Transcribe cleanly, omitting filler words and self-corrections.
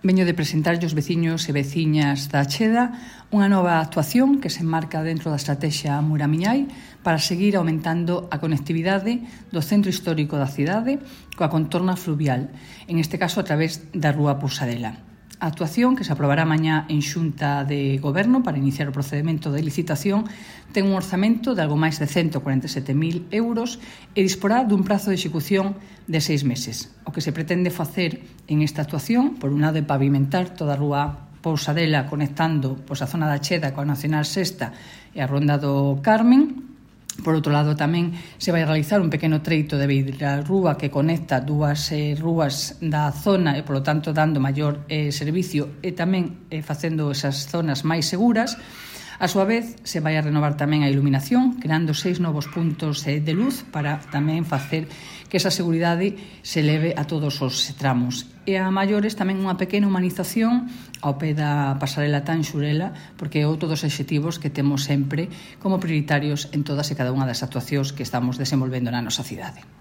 Veño de presentarlle aos veciños e veciñas da Cheda unha nova actuación que se enmarca dentro da estrategia Muramiñai para seguir aumentando a conectividade do centro histórico da cidade coa contorna fluvial, en este caso a través da Rúa Pousadela. A actuación, que se aprobará mañá en Xunta de Goberno para iniciar o procedemento de licitación, ten un orzamento de algo máis de 147.000 euros e disporá dun prazo de execución de 6 meses. O que se pretende facer en esta actuación, por un lado, é pavimentar toda a Rúa Pousadela conectando a zona da Cheda coa Nacional Sexta e a Ronda do Carmen. Por outro lado, tamén se vai realizar un pequeno treito de beirarrúa que conecta dúas rúas da zona e, polo tanto, dando maior servicio e tamén facendo esas zonas máis seguras. A súa vez, se vai a renovar tamén a iluminación, creando 6 novos puntos de luz para tamén facer que esa seguridade se leve a todos os tramos. E a maiores tamén unha pequena humanización ao pé da pasarela tan Xurela, porque é outro dos obxectivos que temos sempre como prioritarios en todas e cada unha das actuacións que estamos desenvolvendo na nosa cidade.